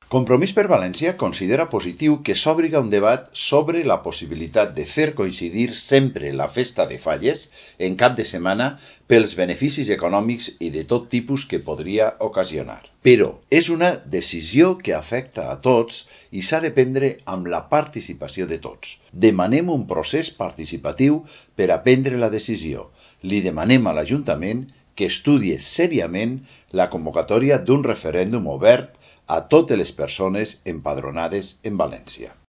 Compromís per València considera positiu que s'obri un debat sobre la possibilitat de fer coincidir sempre la festa de Falles en cap de setmana pels beneficis econòmics i de tot tipus que podria ocasionar. Però és una decisió que afecta a tots i s'ha de prendre amb la participació de tots. Demanem un procés participatiu per a prendre la decisió. Li demanem a l'Ajuntament que estudie seriament la convocatòria d'un referèndum obert a totes les persones empadronades en València.